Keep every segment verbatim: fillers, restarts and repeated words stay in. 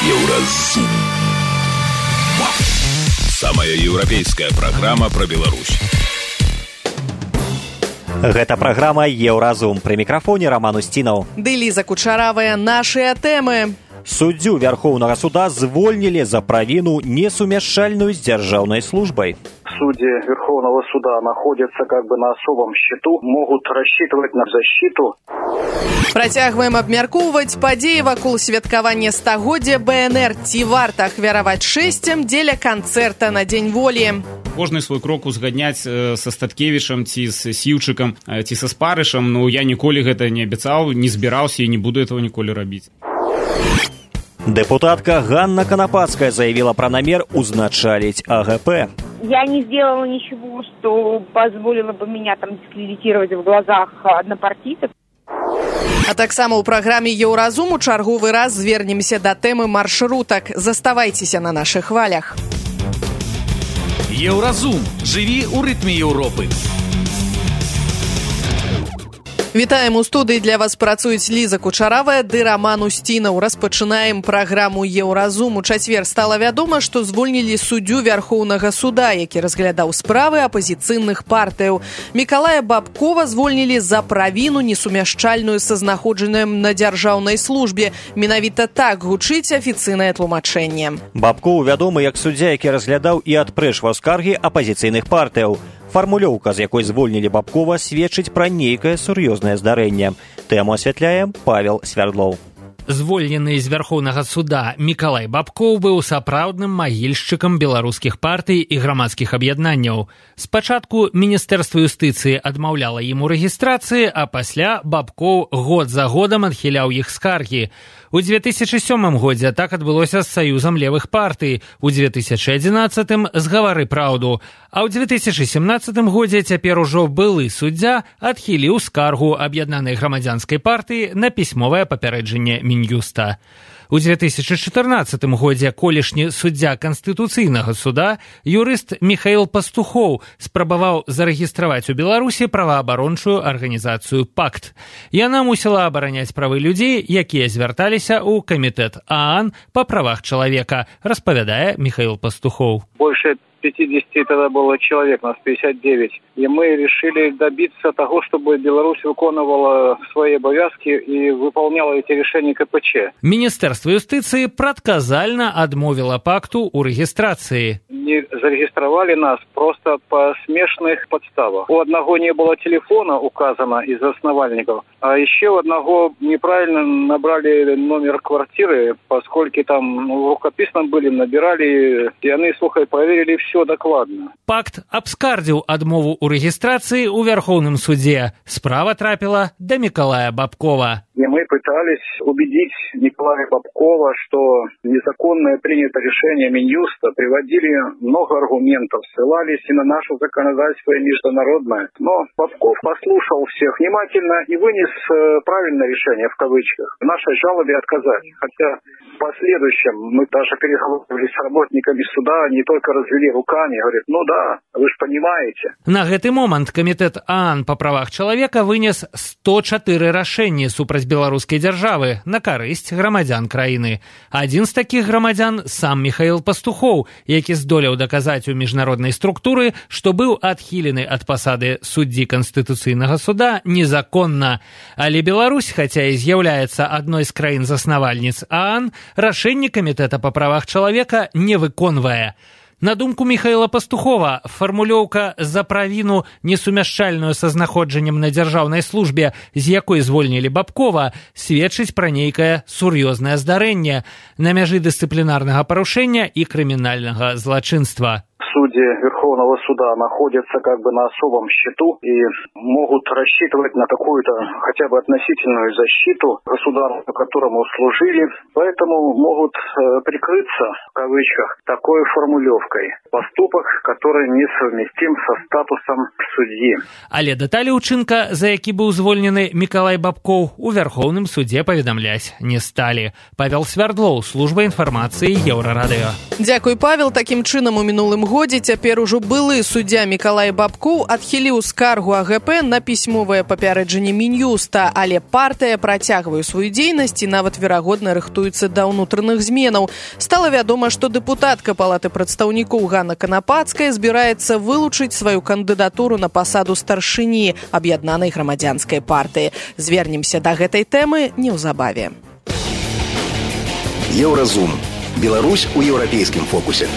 Еўразум. Самая еўрапейская праграма пра Беларусь. Гэта праграма «Еўразум». Пры мікрафоне Роман Устінаў. Ды Ліза Кучаравая. Нашыя тэмы. Суддзю Вярхоўнага суда звольнілі за правіну, несумяшчальную з дзяржаўнай службай. Судьи Верховного суда находятся как бы на особом счету, могут рассчитывать на защиту. Працягваем абмяркоўваць падзеі вакол святкавання стагоддзя бэ эн эр. Ці варта ахвяраваць шэсцям дзеля канцэрта на Дзень волі? Кожны свой крок узгадняць са Статкевічам ці з Сіўчыкам ці са Спарышам, ну я ніколі гэта не абяцаў, не збіраўся і не буду этого ніколі рабіць. Депутатка Ганна Конопадская заявила про намер узначалить а гэ пэ. Я не сделала ничего, что позволило бы меня там дискредитировать в глазах однопартийцев. А таксама ў праграме «Еўразум» у чарговы раз звернемся да тэмы маршрутак. Заставайцеся на нашых хвалях. Еўразум. Жыві ў рытме Еўропы. Вітаем у студыі, для вас працуюць Ліза Кучаравая ды Роман Устінаў. Распачынаем праграму «Еўразум». У чацвер стала вядома, што звольнілі суддзю Вярхоўнага суда, які разглядаў справы апазіцыйных партыяў. Мікалая Бабкова звольнілі за правіну, несумяшчальную са знаходжаннем на дзяржаўнай службе. Менавіта так гучыць афіцыйнае тлумачэнне. Бабкову вядомы як суддзя, які разглядаў і адпрэчваў скаргі апазіцыйных партыяў. Фармулёўка, з якой звольнілі Бабкова, сведчыць пра нейкае сур'ёзнае здарэнне. Тэму асвятляе Павел Свярдлоў. Звольнены з Вярхоўнага суда Мікалай Бабкоў быў сапраўдным магільшчыкам беларускіх партый і грамадскіх аб'яднанняў. Спачатку Міністэрства юстыцыі адмаўляла ім у рэгістрацыі, а пасля Бабкоў год за годам адхіляў іх скаргі. У дзве тысячы сёмым годзе так адбылося з Саюзам левых партый, у дзве тысячы адзінаццатым з «Гавары праўду», а ў дзве тысячы сямнаццатым годзе цяпер ужо былы суддзя адхіліў скаргу аб'яднанай грамадзянскай партыі на пісьмовае папярэджанне Мін'юста. У дзве тысячы чатырнаццатым годзе колішні суддзя Канстытуцыйнага суда, юрыст Міхаіл Пастухоў, спрабаваў зарэгістраваць у Беларусі праваабарончую арганізацыю «Пакт». Яна мусіла абараняць правы людзей, якія звярталіся ў камітэт ААН па правах чалавека, распавядае Міхаіл Пастухоў. Больше пятьдесят тогда было человек, нас пятьдесят девять. И мы решили добиться того, чтобы Беларусь выполняла свои обовязки и выполняла эти решения ка пэ че. Міністэрства юстыцыі прадказальна адмовіла пакту ў рэгістрацыі. Не зарегистрировали нас просто по смешных подставах. У одного не было телефона указано из основальников, а еще у одного неправильно набрали номер квартиры, поскольку там ну, в рукописном были, набирали, и они, слухай, проверили все докладно. Пакт абскардзіў адмову ў рэгістрацыі ў Вярхоўным судзе. Справа трапіла да Мікалая Бабкова. И мы пытались убедить Николая Бабкова, что незаконное принято решение Минюста, приводили много аргументов, ссылались и на наше законодательство и международное. Но Бабков послушал всех внимательно и вынес правильное решение, в кавычках. В нашей жалобе отказали. Хотя в последующем мы даже переговорили с работниками суда, не только развели руками, говорят, ну да, вы же понимаете. На гэты момант камітэт ААН па правах чалавека вынес сто чатыры рашэнні супраць беларускай дзяржавы на карысць грамадзян краіны. Адзін з такіх грамадзян сам Міхаіл Пастухоў, які здолеў даказаць у міжнароднай структуры, што быў адхілены ад пасады суддзі Канстытуцыйнага суда незаконна. Але Беларусь, хаця і з'яўляецца адной з краін-заснавальніц ААН, рашэнні камітэта па правах чалавека не выконвае. На думку Міхаіла Пастухова, фармулёўка «за правіну, несумяшчальную са знаходжаннем на дзяржаўнай службе», з якой звольнілі Бабкова, сведчыць пра нейкае сур'ёзнае здарэнне на мяжы дысцыплінарнага парушэння і крымінальнага злачынства. Судьи Верховного суда находятся как бы на особом счету и могут рассчитывать на какую-то хотя бы относительную защиту государству, которому служили, поэтому могут э, прикрыться, в кавычках, такой формулировкой. Поступок, который несовместим со статусом судьи. Але дэталі ўчынка, за які быў звольнены Мікалай Бабкоў, у Вярхоўным судзе паведамляць не сталі. Павел Свярдлоў, служба інфармацыі Еўрарадыё. Дзякуй, Павел. Такім чынам, у мінулым мінулым годзе цяпер ужо былы суддзя Мікалай Бабкоў адхіліў скаргу А Гэ Пэ на пісьмовае папярэджанне Мін'юста, але партыя працягвае сваю дзейнасць і нават верагодна рыхтуецца да ўнутраных зменаў. Стала вядома, што дэпутатка Палаты прадстаўнікоў Ганна Канапацкая збіраецца вылучыць сваю кандыдатуру на пасаду старшыні аб'яднанай грамадзянскай партыі. Звернемся да гэтай тэмы неўзабаве. Еўразум. Беларусь у еўрапейскім фокусе.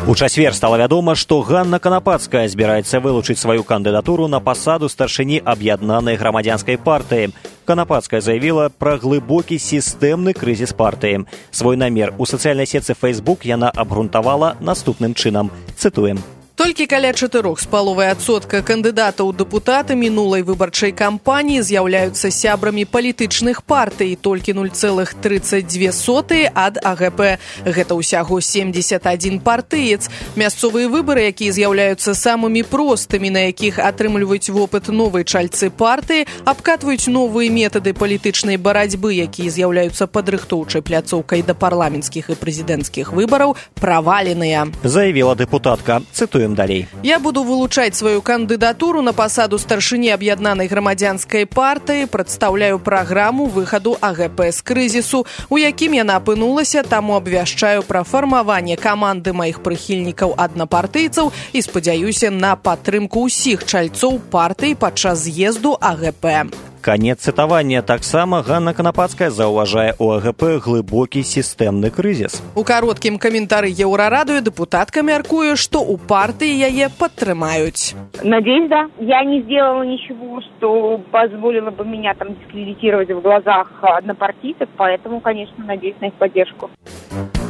У чацвер стала вядома, што Ганна Канапацкая збіраецца вылучыць сваю кандыдатуру на пасаду старшыні аб'яднанай грамадзянскай партыі. Канапацкая заявіла пра глыбокі сістэмны крызіс партыі. Свой намер у сацыяльнай сетцы Facebook яна абгрунтавала наступным чынам. Цытуем. Толькі каля чатырох з паловай адсотка кандыдатаў у дэпутаты мінулай выбарчай кампаніі з'яўляюцца сябрамі палітычных партый, толькі нуль цэлых трыццаць дзве сотыя ад А Гэ Пэ. Гэта ўсяго семьдесят адзін партыец. Мясцовыя выбары, якія з'яўляюцца самымі простымі, на якіх атрымліваюць вопыт новай чальцы партыі, абкатваюць новыя метады палітычнай барацьбы, якія з'яўляюцца падрыхтоўчай пляцоўкай да парламенцкіх і прэзідэнцкіх выбараў, праваленыя. Заявіла дэпутатка. Цытуем далей. Я буду вылучаць сваю кандыдатуру на пасаду старшыні аб'яднанай грамадзянскай партыі, прадстаўляю праграму выхаду А Гэ Пэ з крызісу, у якім яна апынулася, таму абвяшчаю пра фармаванне каманды маіх прыхільнікаў аднапартыйцаў і спадзяюся на падтрымку ўсіх чальцоў партыі падчас з'езду А Гэ Пэ. Канец цытавання. Таксама Ганна Канапацкая заўважае у А Гэ Пэ глыбокі сістэмны крызіс. У кароткім каментары Еўрарадыё дэпутатка мяркуе, што ў партыі яе падтрымаюць. Надеюсь, да. Я не сделала ничего, что позволило бы меня там дискредитировать в глазах однопартийцев, поэтому, конечно, надеюсь на их поддержку.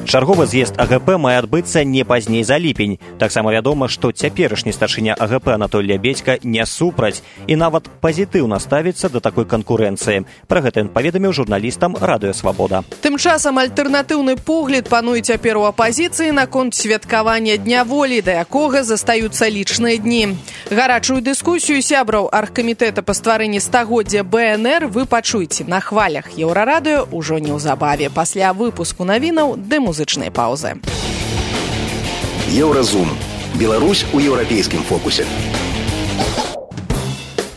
Чарговы з'езд А Гэ Пэ мае адбыцца не пазней за ліпень. Таксама вядома, што цяперашні старшыня А Гэ Пэ Анатоль Лябедзька не супраць і нават пазітыўна ставіцца да такой канкурэнцыі. Пра гэта ён паведаміў журналістам Радыё Свабода. Тым часам альтэрнатыўны погляд пануе цяпер у апазіцыі наконт святкавання Дня волі, да якога застаюцца лічныя дні. Гарачую дыскусію сябраў аргкамітэта па стварэнні стагоддзя Бэ Эн Эр вы пачуеце на хвалях Еўрарадыё ўжо неўзабаве пасля выпуску навінаў ды музычнай паўзы. Еўразум. Беларусь у еўрапейскім фокусе.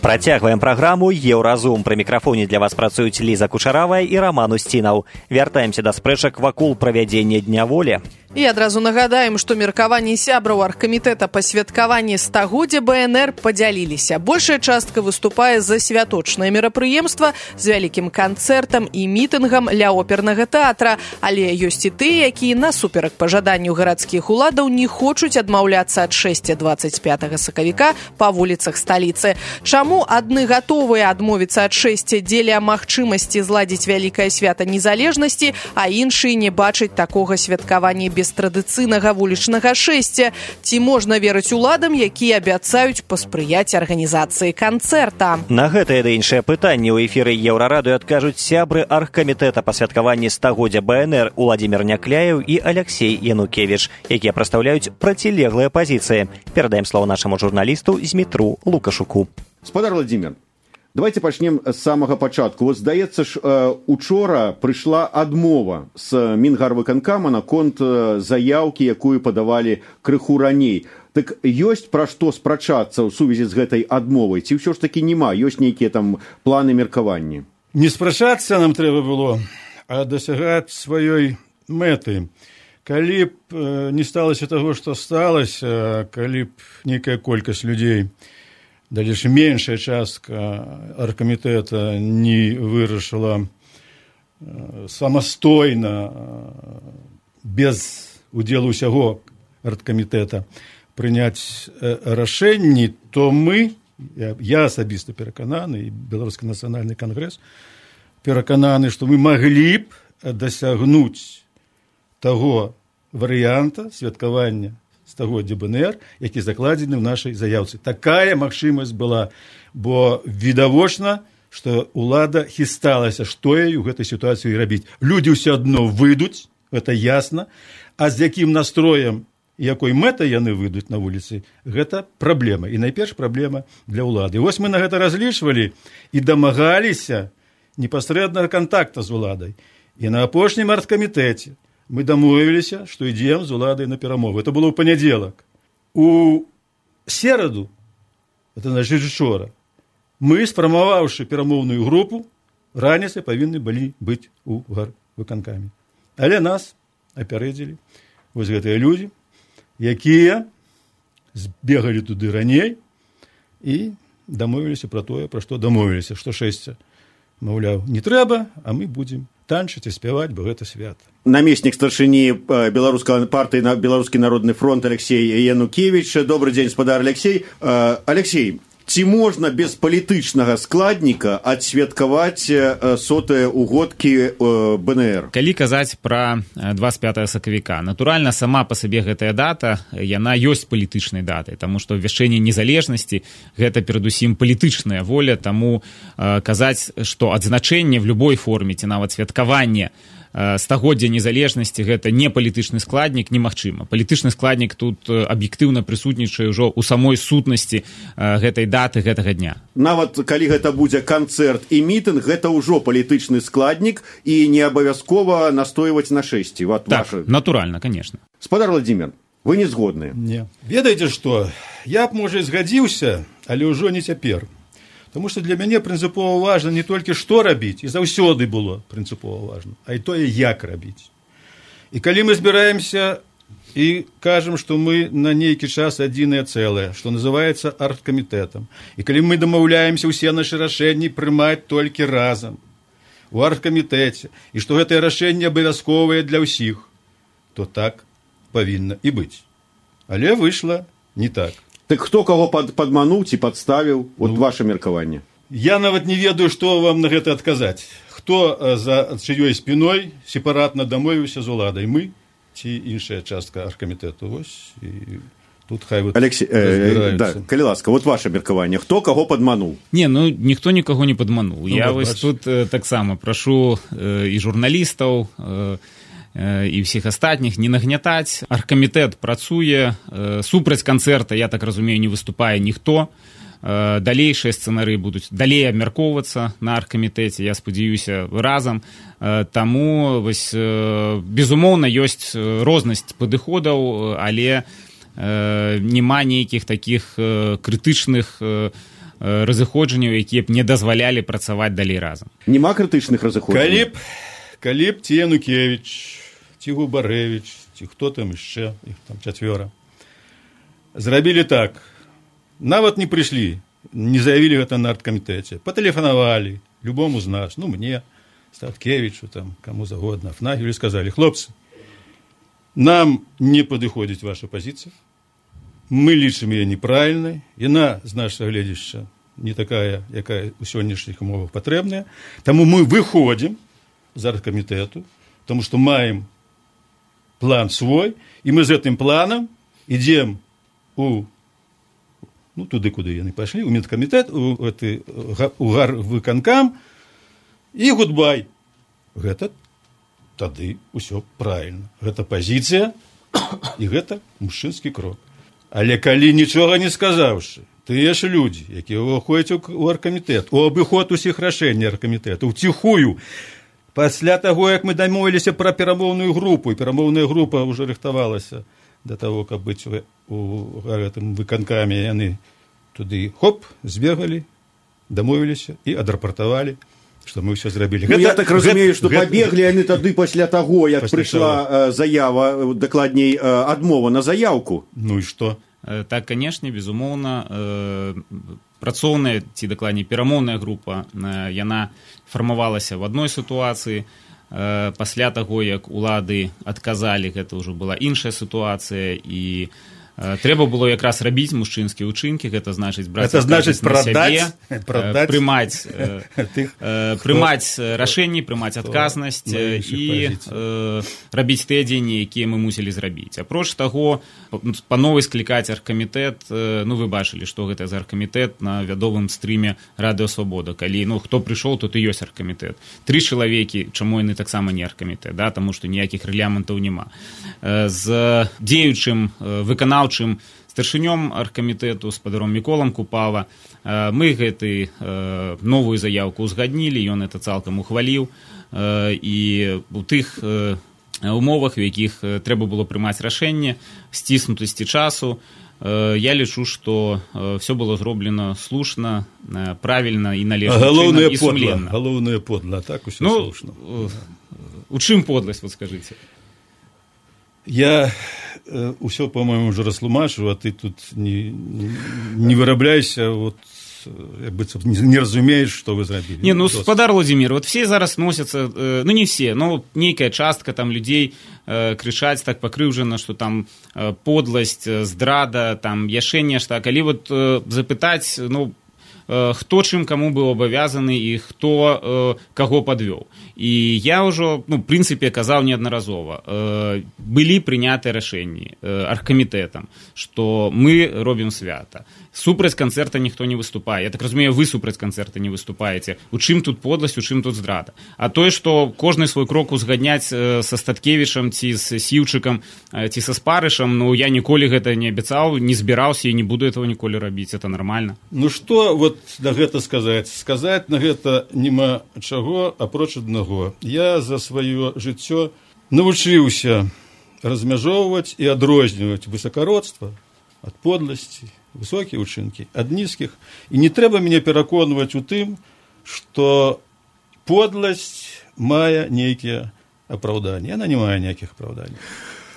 Працягваем праграму «Еўразум». Пры мікрафоне для вас працуюць Ліза Кучаравая і Раман Усцінаў. Вяртаемся да спрэчак вакол правядзення Дня волі. І адразу нагадаем, што меркаванні сябраў аргкамітэта па святкаванні стагоддзя Бэ Эн Эр падзяліліся. Большая частка выступае за святочнае мерапрыемства з вялікім канцэртам і мітынгам ля опернага тэатра, але ёсць і тыя, якія насуперак пажаданню гарадскіх уладаў не хочуць адмаўляцца ад шэсця дваццаць пятага сакавіка па вуліцах сталіцы. Чаму адны гатовыя адмовіцца ад шэсця дзеля магчымасці зладзіць вялікае свята незалежнасці, а іншыя не бачаць такога святкавання без традыцыйнага вулічнага шэсця? Ці можна верыць уладам, якія абяцаюць паспрыяць арганізацыі канцэрта? На гэтае ды іншае пытанне ў эфіры Еўрарадыё адкажуць сябры аргкамітэта па святкаванні стагоддзя Бэ Эн Эр Уладзімір Някляеў і Аляксей Янукевіч, якія прадстаўляюць процілеглыя пазіцыі. Перадаем слово нашаму журналісту Змітру Лукашуку. Спадар Владимир, давайте пачнем з самага пачатку. Вот, здаецца ж, учора прыйшла адмова з Мінгарвыканкама наконт заяўкі, якую падавалі крыху раней. Так ёсць пра што спрачацца ў сувязі з гэтай адмовай? Ці ўсё ж такі няма? Ёсць нейкія там планы меркавання? Не спрачацца нам трэба было, а дасягаць сваёй мэты. Калі б не сталася таго, што сталася, калі б нейкая колькасць людзей, далеч меншая частка аргкамітэта не вырашыла самастойна, без удзелу ўсяго аргкамітэта, прыняць рашэнні, то мы, я, я асабіста перакананы, і Беларускі нацыянальны кангрэс перакананы, што мы маглі б дасягнуць таго варыянта святкавання стагоддзя Бэ Эн Эр, які закладзены ў нашай заяўцы. Такая магчымасць была, бо відавочна, што ўлада хісталася, што ёй у гэтай сітуацыі рабіць. Людзі ўсё адно выйдуць, гэта ясна, а з якім настроем і якой мэтай яны выйдуць на вуліцы, гэта праблема. І найперш праблема для ўлады. І вось мы на гэта разлічвалі і дамагаліся непасрэднага кантакта з уладай. І на апошнім аргкамітэце мы дамовіліся, што ідзем з уладай на перамовы. Это было ў панядзелак. У сераду, это значит учора, мы, сфармаваўшы перамоўную групу, раніцай павінны былі быць у гарвыканкаме. Але нас апярэдзілі вось гэтыя людзі, якія збегалі туды раней і дамовіліся пра тое, пра што дамовіліся, што шэсця, маўляў, не трэба, а мы будзем танчыць і спяваць, бо гэта свята. Намеснік старшыні беларускай партыі на Беларускі народны фронт Алексей Янукевич. Добрый дзень, спадар Алексей. Алексей, ці можна без палітычнага складніка адсвяткаваць сотыя угодкі бэ эн эр? Калі казаць пра двадцать пятого сакавіка, натуральна, сама па сабе гэтая дата, яна ёсць палітычнай датай, таму што абвяшчэнне незалежнасці гэта перадусім палітычная воля, таму казаць, што адзначэнне в любой форме ці нават святкаванне стагоддзя незалежнасці гэта не палітычны складнік немагчыма. Палітычны складнік тут аб'ектыўна прысутнічае ўжо ў самой сутнасці гэтай даты гэтага дня. Нават калі гэта будзе канцэрт і мітынг, гэта ўжо палітычны складнік і не абавязкова настойваць на шэсці. Вот так, ваша... натуральна, конечно. Спадар Владимир, вы не згодныя? Не. Ведаеце што? Я б, можа, згадзіўся, але ўжо не цяпер. Тому што для мяне прынцыпова важна не толькі што рабіць, і заўсёды было прынцыпова важна, а і тое, як рабіць. І калі мы збіраемся і кажам, што мы на нейкі час адзінае цэлае, што называецца аргкамітэтам, і калі мы дамаўляемся ўсе нашы рашэнні прымаць толькі разам у аргкамітэце, і што гэтае рашэнне абавязковае для ўсіх, то так павінна і быць. Але выйшла не так. Так хто каго пад, падмануў ці падставіў? Вот ну, ваше меркаванне. Я нават не ведаю, што вам на гэта адказаць. Хто за чыёй спіной сепаратна дамовіўся з уладай? Мы ці іншая частка аргкамітэту? Вось, і тут хай вы Алексей, э, да, калі ласка, вот ваше меркаванне. Хто каго падмануў? Не, ну, ніхто нікаго не падмануў. Ну, Я вось тут э, таксама прашу э, і журналістаў, э, і ўсіх астатніх не нагнятаць. Аргкамітэт працуе, супраць канцэрта, я так разумею, не выступае ніхто. Далейшыя сцэнары будуць далей абмяркоўвацца на аргкамітэце, я спадзяюся, разам. Таму, вось, безумоўна, ёсць рознасць падыходаў, але няма нейкіх такіх крытычных разыходжанняў, якія б не дазвалялі працаваць далей разам. Нема крытычных разыходжанняў? Калі б, калі б ці Янукевич, ці Губарэвіч, ці хто там яшчэ, іх там чацвёра, зрабілі так, нават не прыйшлі, не заявілі гэта на аргкамітэце, патэлефанавалі любому з нас, ну мне, Статкевічу, там, каму загодна, Афнагілю, сказалі: хлопцы, нам не падыходзіць ваша пазіцыя, мы лічым яе неправільнай, яна, з нашага гледзяшча, не такая, якая ў сённяшніх умовах патрэбная, таму мы выходзім з аргкамітэту, тому што маем план свой, і мы з гэтым планам ідзем у, ну, туды, куды яны пайшлі, у медкамітэт, у, гэты, у гарвыканкам, і гудбай. Гэта тады ўсё правільна. Гэта пазіцыя, і гэта мужчынскі крок. Але калі нічога не сказаўшы, тыя ж людзі, якія ўваходзяць у аргкамітэт, у абыход усіх рашэнняў аргкамітэта, уціхую, пасля таго, як мы дамовіліся пра перамоўную групу, і перамоўная група ўжо рыхтавалася да таго, каб быць у гэтым выканкаме, яны туды, хоп, збегалі, дамовіліся і адрапартавалі, што мы ўсё зрабілі. Ну, гэта, я так разумею, што гэта... пабеглі яны тады пасля таго, як пасля прыйшла э, заява, дакладней, э, адмова на заяўку. Ну і што? Так, канешне, безумоўна, працоўная ці дакладней перамоўная група, яна фармавалася в адной сітуацыі. Пасля таго, як улады адказалі, гэта ўжо была іншая сітуацыя, і трэба было якраз рабіць мужчынскія ўчынкі, гэта значыць браць это значыць прадаць, сябе, прымаць, прымаць рашэнні, прымаць адказнасць і рабіць тыя дзеянні, якія мы мусілі зрабіць. Апроч таго, па новай склікаць аргкамітэт, ну вы бачылі, што гэта за аргкамітэт на вядомым стрыме Радыё Свабода. Калі, ну, хто прыйшоў, тут і ёсць аргкамітэт. Тры чалавекі, чаму яны таксама не аргкамітэт, да, таму што ніякіх рэляментаў няма. З дзеючым выканаўчым чым старшынём аргкамітэту, спадаром Міколам Купава, мы гэты новую заяўку ўзгаднілі, ён это цалкам ухваліў, і у тых умовах, у якіх трэба было прымаць рашэнне, сціснутасці часу. Я лічу, што все было зроблена слушна, правільна і належным чынам і сумленна. Галоўнае подла, так усё ну, слушна. У чым подласць, вот скажыце? Я ўсё, по-моему, уже растлумачу, а ты тут не, не вырабляйся, вот як бы не разумеешь, что вы зрабілі. Не, ну, спадар Владимир, вот все зараз носятся, э, ну, не все, но нейкая частка там людей э, крычаць так пакрыўжана, что там э, подласць, здрада, там яшчэ нешта. Калі вот э, запытаць, ну, э, хто чым каму быў абавязаны і хто э, каго падвёў. І я ўжо, ну, в прынцыпе, казаў неаднаразова. Э, былі прынятыя рашэнні э, аргкамітэтам, што мы робім свята. Супраць канцэрта ніхто не выступае. Я так разумею, вы супраць канцэрта не выступаеце. У чым тут подласць, у чым тут здрада? А тое, што кожны свой крок узгадняць э, са Статкевічам ці з Сіўчыкам э, ці са Спарышам, ну, я ніколі гэта не абяцаў, не збіраўся і не буду этого ніколі рабіць. Это нормально. Ну, што вот на гэта сказаць? Сказаць на гэта няма чаго, апроч аднаго. Я за сваё жыццё навучыўся размяжоўваць і адрозніваць высакародства ад подласці, высокія ўчынкі ад нізкіх. І не трэба мяне пераконваць у тым, што подласць мае нейкія апраўданні. Яна не мае ніякіх апраўданняў.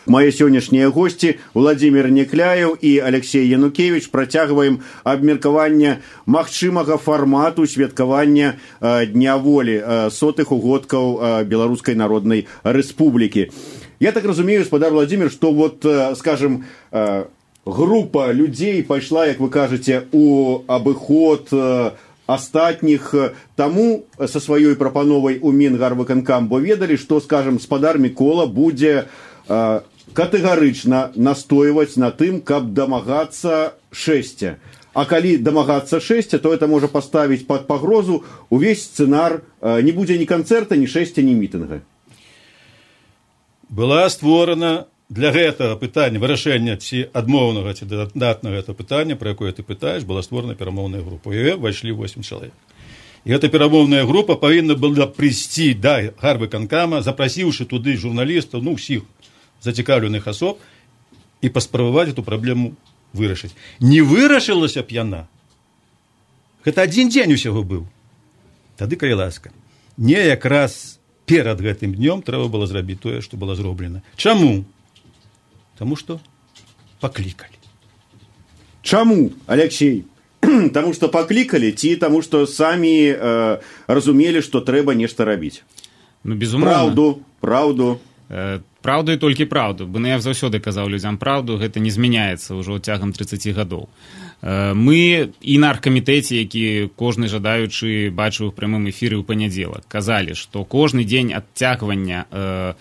Мои сённяшнія госці Владимир Некляев і Алексей Янукевич працягваем абмеркаванне магчымага фармату святкавання э, Дня волі э, сотых угодкаў э, Беларускай Народнай Рэспублікі. Я так разумею, спадар Владимир, што вот, э, скажем, э, група людзей пайшла, як вы кажаце, у абыход э, астатніх таму са сваёй прапановай у Мінгарвыканкам, бо ведалі, што, скажем, спадар Мікола будзе э, катэгарычна настойваць на тым, каб дамагацца шэсця. А калі дамагацца шэсця, то это можа паставіць пад пагрозу увесь сцэнар, э, не будзе ні канцэрта, ні шэсця, ні мітынга. Была створана для гэтага пытання, вырашэння ці адмоўнага, ці дадатнага гэта пытання, пра якое ты пытаеш, была створана перамоўная група. У яе ўвайшлі восем чалавек. І гэта перамоўная група павінна была прыйсці да Гарвыканкама, запрасіўшы туды журналістаў, ну, ўсіх зацікаўленых асоб, і паспрабаваць эту праблему вырашыць. Не вырашылася б яна. Гэта адзін дзень усяго быў. Тады, калі ласка. Не якраз перад гэтым днём трэба было зрабіць тое, што было зроблена. Чаму? Таму што паклікалі. Чаму, Алексей? Таму што паклікалі ці таму што самі э, разумелі, што трэба нешта рабіць? Ну, безумоўна. Праўду, праўду. Э, праўду і толькі праўду. Бо я заўсёды казаў людзям праўду, гэта не змяняецца ўжо цягам трыццаці гадоў. Э, мы і на аргкамітэце, які кожны жадаючы бачыў у прямым эфіры ў панядзелак, казалі, што кожны дзень адцягвання э,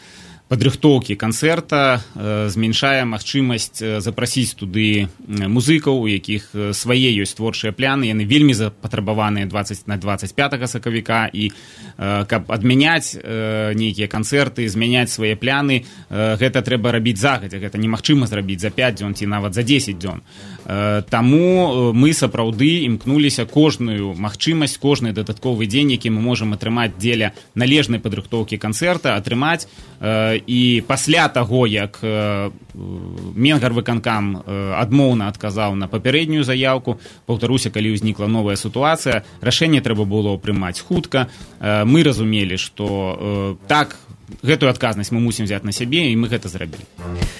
падрыхтоўкі канцэрта э, зменшае магчымасць э, запрасіць туды музыкаў, у якіх э, свае ёсць творчыя пляны, яны вельмі запатрабаваныя дваццаць на дваццаць пятага сакавіка, і э, каб адмяняць э, нейкія канцэрты, змяняць свае пляны, э, гэта трэба рабіць загадзя, гэта немагчыма зрабіць за пяць дзён ці нават за дзесяць дзён. Э, таму мы сапраўды імкнуліся кожную магчымасць, кожны дадатковы дзень, які мы можам атрымаць дзеля належнай падрыхтоўкі канцэрта, атрымаць э, і пасля таго, як э, Мінгарвыканкам э, адмоўна адказаў на папярэднюю заяўку, паўтаруся, калі ўзнікла новая сітуацыя, рашэнне трэба было прымаць хутка. Э, мы разумелі, што э, так, гэтую адказнасць мы мусім взять на сябе, і мы гэта зрабілі.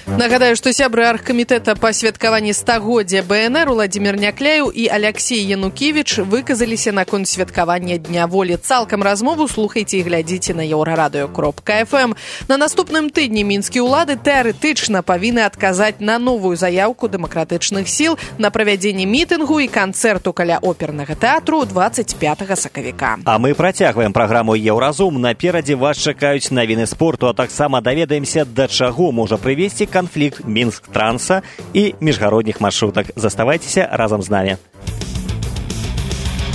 Нагадаю, што сябры аргкамітэта па святкаванні стагоддзя БНР Владимир Некляев і Алексей Янукевич выказаліся наконт святкавання Дня волі. Цалкам размову слухайце і глядзіце на еўрарадыё кропка эф эм. На наступным тыдні мінскія ўлады тэарэтычна павінны адказаць на новую заяўку дэмакратычных сіл на правядзенне мітынгу і канцэрту каля опернага тэатру дваццаць пятага сакавіка. А мы працягваем праграму «Еўразум». Наперадзе вас чакаюць навіны спорту, а таксама даведаемся, да чаго можа прывесці канфлікт Мінск-транса і міжгародніх маршрутак. Заставайцеся разам з намі.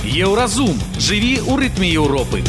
Еўразум. Жыві ў рытме Еўропы.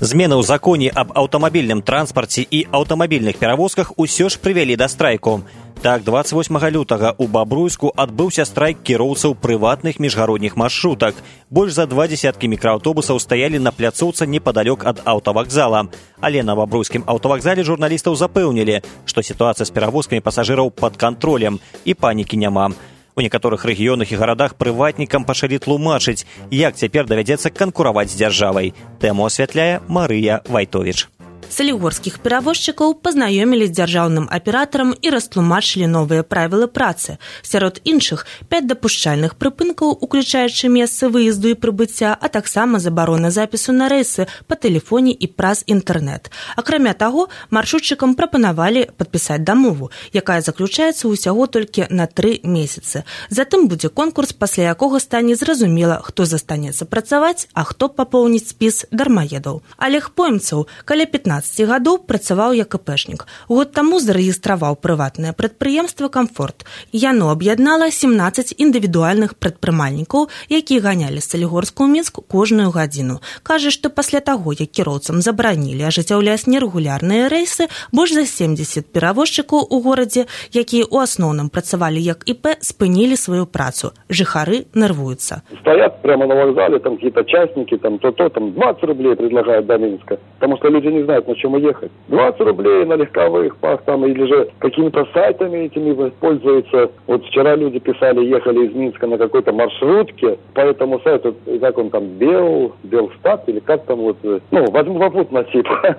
Змены ў законе аб аўтамабільным транспарце і аўтамабільных перавозках усё ж прывялі да страйку. Так, двадцать восьмага лютага ў Бабруйску адбыўся страйк кіроўцаў прыватных міжгародніх маршрутак. Больш за два дзесяткі мікрааўтобусаў стаялі на пляцоўцы непадалёк ад аўтавакзала. Але на Бабруйскім аўтавакзале журналістаў запэўнілі, што сітуацыя з перавозкамі пасажыраў пад кантролем і панікі няма. У некаторых рэгіёнах і гарадах прыватнікам пачалі тлумачыць, як цяпер давядзецца канкураваць з дзяржавай. Тэму асвятляе Марыя Вайтовіч. Салігорскіх перавозчыкаў пазнаёмілі з дзяржаўным аператарам і растлумачылі новыя правілы працы. Сярод іншых, пяць дапушчальных прыпынкаў, уключаючы месцы выезду і прыбыцця, а таксама забарона запісу на рэйсы па тэлефоне і праз інтэрнэт. Акрамя таго, маршрутчыкам прапанавалі падпісаць дамову, якая заключаецца ўсяго толькі на тры месяцы. Затым будзе конкурс, пасля якога стане зразумела, хто застанецца працаваць, а хто папоўніць спіс дармаедаў. Олег Поймцаў каля пятнаццаць гадоў працаваў як іпэшнік. Год таму зарэгістраваў прыватнае прадпрыемства «Камфорт». Яно аб'яднала сямнаццаць індывідуальных прадпрымальнікаў, якія ганялі з Салігорска ў Мінск кожную гадзіну. Кажа, што пасля таго, як кіроўцам забаранілі ажыццяўляць нерэгулярныя рэйсы, больш за семдзесят перавозчыкаў у горадзе, якія ў асноўным працавалі як ІП, спынілі сваю працу. Жыхары нервуюцца. Стоят прямо на вокзале, там какие-то частники, там то-то, там двадцать рублей предлагают до Минска, потому что люди не знают, на чем ехать. двадцать рублей на легковых пах там, или же какими-то сайтами этими пользуются. Вот вчера люди писали, ехали из Минска на какой-то маршрутке по этому сайту, как он там, Бел, Белстат, или как там вот, ну, возьму попутно типа.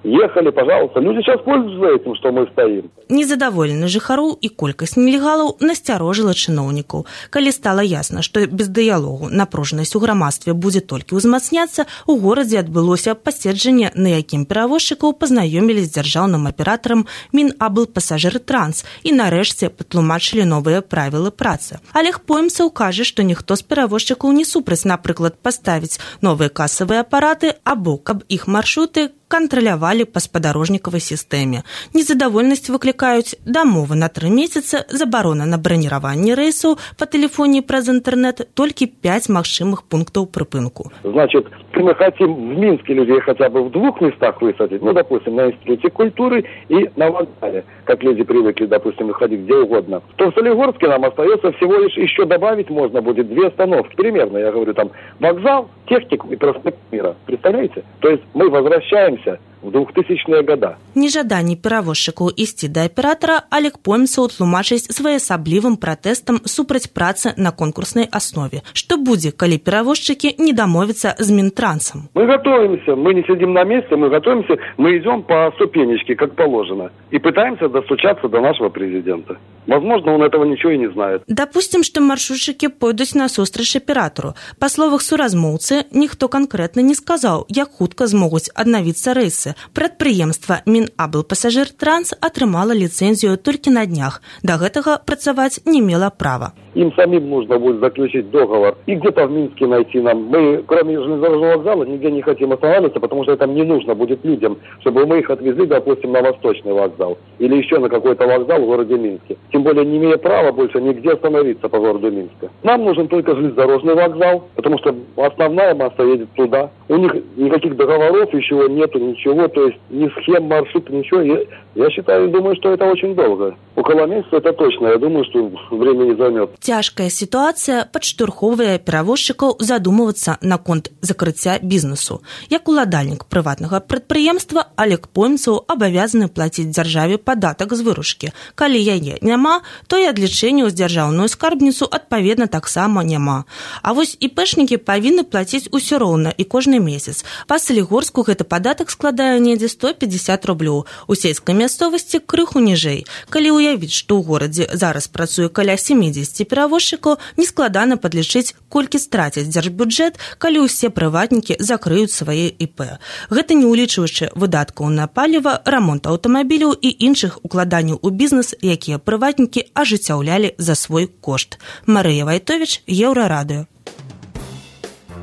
Ехали, пожалуйста. Люди сейчас пользуются этим, что мы стоим. Незадаволены жыхароў і колькасць нелегалаў насцярожыла чыноўнікаў. Калі стала ясна, што без дыялогу напружанасць у грамадстве будзе толькі ўзмацняцца, у горадзе адбылося паседжанне, на якім перавозчыкаў пазнаёмілі з дзяржаўным аператарам Мінаблпасажыртранс і нарэшце патлумачылі новыя правілы працы. Олег Поймцаў кажа, што ніхто з перавозчыкаў не супраць, напрыклад, паставіць новыя касавыя апараты або каб іх маршруты кантралявалі па спадарожнікавай сістэме. Незадавольнасць выклікаюць дамовы на тры месяцы, забарона на браніраванне рэйсаў па тэлефоне праз інтэрнэт, толькі пяць магчымых пунктаў прыпынку. Значит, мы хотим в Минске людей хотя бы в двух местах высадить, ну, допустим, на Институте культуры и на вокзале, как люди привыкли, допустим, выходить где угодно, то в Солигорске нам остается всего лишь еще добавить можно будет две остановки. Примерно, я говорю, там вокзал, техник и проспект Мира. Представляете? То есть мы возвращаемся в двухтысячные года. Нежаданне перавозчыкаў ісці да аператара Олег Поймцаў тлумачыць своеасаблівым пратэстам супраць працы на конкурснай аснове. Што будзе, калі перавозчыкі не дамовяцца з Мінтрансам? Мы готовимся, мы не сидим на месте, мы готовимся, мы идем по ступенечке, как положено, и пытаемся достучаться до нашего президента. Возможно, он этого ничего и не знает. Допустим, што маршрутчыкі пойдуць насустрач аператару. Па словах суразмоўцы, ніхто канкрэтна не сказаў, як хутка змогуць аднавіцца рэйсы. Прадпрыемства Мінаблпасажыртранс атрымала ліцэнзію толькі на днях. Да гэтага працаваць не мела права. Им самим нужно будет заключить договор и где-то в Минске найти нам. Мы, кроме железнодорожного вокзала, нигде не хотим останавливаться, потому что это не нужно будет людям, чтобы мы их отвезли, допустим, на Восточный вокзал или еще на какой-то вокзал в городе Минске. Тем более, не имея права больше нигде остановиться по городу Минска. Нам нужен только железнодорожный вокзал, потому что основная масса едет туда. У них никаких договоров еще нету, ничего, то есть ни схем, маршрута, ничего. Я, я считаю, думаю, что это очень долго. Около месяца это точно. Я думаю, что время не займет. Цяжкая сітуацыя падштурхоўвае перавозчыкаў задумвацца наконт закрыцця бізнесу. Як уладальнік прыватнага прадпрыемства, Олег Поймцаў абавязаны плаціць дзяржаве падатак з выручкі. Калі яе няма, то і адлічэнняў з дзяржаўную скарбніцу адпаведна таксама няма. А вось іпэшнікі павінны плаціць усё роўна і кожны месяц. Па Салігорску гэты падатак складае недзе сто пятьдесят рублёў. У сельскай мясцовасці крыху ніжэй. Калі уявіць, што ў горадзе зараз працуе каля семьдесят перавозчыкаў, нескладана падлічыць, колькі страціць дзяржбюджэт, калі ўсе прыватнікі закрыюць свае ІП. Гэта не ўлічваючы выдаткаў на паліва, рамонт аўтамабіляў і іншых укладанняў у бізнес, якія прыватнікі ажыццяўлялі за свой кошт. Марыя Вайтовіч, Еўрарадыё.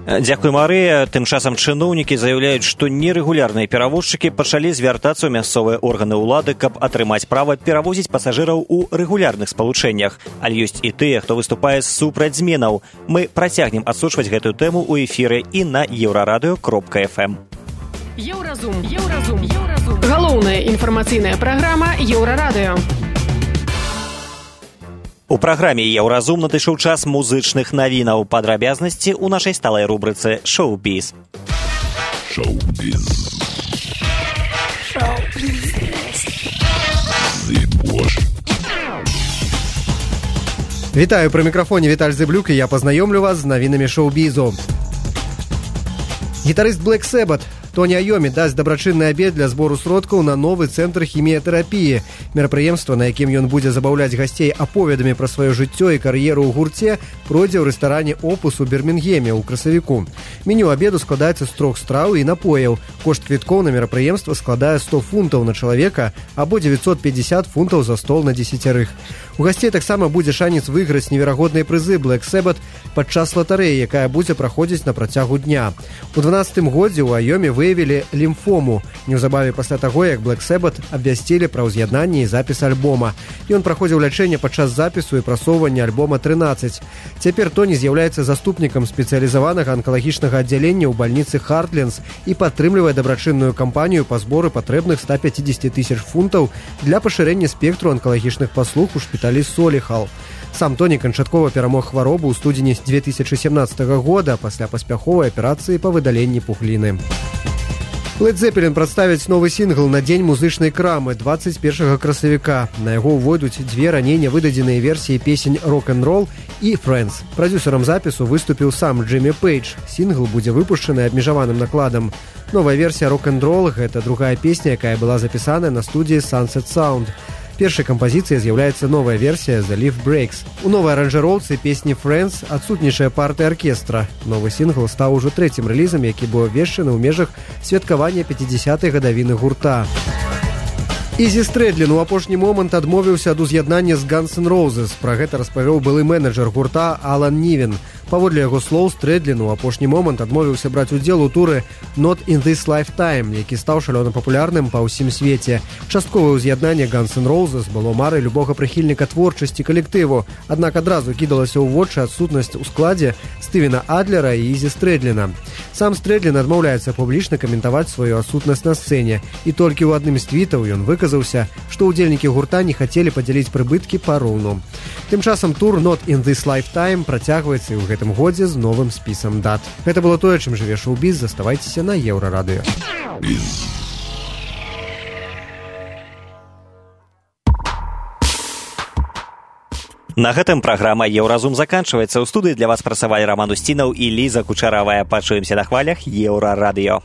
Дзякуй, Марыя. Тым часам чыноўнікі заяўляюць, што нерэгулярныя перавозчыкі пачалі звяртацца ў мясцовыя органы ўлады, каб атрымаць права перавозіць пасажыраў у рэгулярных спалучэннях. Але ёсць і тыя, хто выступае супраць зменаў. Мы працягнем адсочваць гэтую тэму ў эфіры і на еўрарадыё кропка эф эм. Еўразум. Еўразум. Еўразум. Галоўная інфармацыйная праграма Еўрарадыё. У праграме «Еўразум» надышоў час музычных навінаў. Падрабязнасці ў нашай сталай рубрыцы «Шоу-біз». Шоу-біз. Шоу-біз. Вітаю, пры мікрафоне Віталь Зыблюк, і я пазнаёмлю вас з навінамі шоу-бізу. Гітарыст Black Sabbath Тоні Айомі дасць дабрачынны абед для збору сродкаў на новы цэнтр хіміятэрапіі. Мерапрыемства, на якім ён будзе забаўляць гасцей аповедамі пра сваё жыццё і кар'еру ў гурце, пройдзе ў рэстаране «Опус» у Бірмінгеме ў красавіку. Меню абеду складаецца з трох страў і напояў. Кошт квіткоў на мерапрыемства складае сто фунтаў на чалавека або девятьсот пятьдесят фунтаў за стол на дзесяцярых. У гасцей таксама будзе шанец выйграць неверагодныя прызы Black Sabbath падчас латарэі, якая будзе праходзіць на працягу дня. У дванаццатым годзе ў Айоме выявілі лімфому. Неўзабаве пасля таго, як Black Sabbath абвясцілі пра ўз'яднанне і запіс альбома. Ён праходзіў лячэнне падчас запісу і прасоўвання альбома трынаццаць. Цяпер Тоні з'яўляецца заступнікам спецыялізаванага анкалагічнага аддзялення ў бальніцы Хартленс і падтрымлівае дабрачынную кампанію па зборы патрэбных ста пятьдесят тысяч фунтаў для пашырэння спектру анкалагічных паслуг у шпіталі Соліхал. Сам Тоні канчаткова перамог хваробу ў студзені две тысячи семнадцатага года пасля паспяховай аперацыі па выдаленні пухліны. Led Zeppelin прадставіць новы сінгл на дзень музычнай крамы двадцать першага красавіка. На яго ўвойдуць дзве раней нявыдадзеныя версіі песень «Rock-and-Roll» і «Friends». Прадзюсарам запісу выступіў сам Джиммі Пейдж. Сінгл будзе выпушчаны абмежаваным накладам. Новая версія «Rock-and-Roll» – гэта другая песня, якая была запісаная на студіі Sunset Sound. Першай кампазіцыяй з'яўляецца новая версія «The Leaf Breaks». У новай аранжыроўцы песні «Friends» адсутнічае партыя аркестра. Новы сінгл стаў ужо трэцім рэлізам, які быў абвешчаны ў межах святкавання пяцідзясятай гадавіны гурта. Ізі Стрэдлін у апошні момант адмовіўся ад уз'яднання з Guns N' Roses. Пра гэта распавёў былы менеджер гурта Алан Нівен. Паводле яго слоў, Стрэдлін у апошні момант адмовіўся браць удзел у туры «Not in this lifetime», які стаў шалёна папулярным па ўсім свеце. Частковае ўз'яднанне Guns N' Roses было марай любога прыхільніка творчасці калектыву, аднак адразу кідалася ў вочы адсутнасць у складзе Стывена Адлера і Ізі Стрэдліна. Сам Стрэдлін адмаўляецца публічна каментаваць сваю адсутнасць на сцэне, і толькі ў адным з твітаў ён выказаўся, што ўдзельнікі гурта не хацелі падзяліць прыбыткі пароўну. Тым часам тур «Not in this lifetime» працягваецца і ў гэтым годзе з новым спісам дат. Гэта было тое, чым жыве шоу-біз. Заставайцеся на Еўрарадыё. На гэтым праграма «Еўразум» заканчваецца. У студыі для вас працавалі Раман Усцінаў і Ліза Кучаравая. Пачуемся на хвалях Еўрарадыё.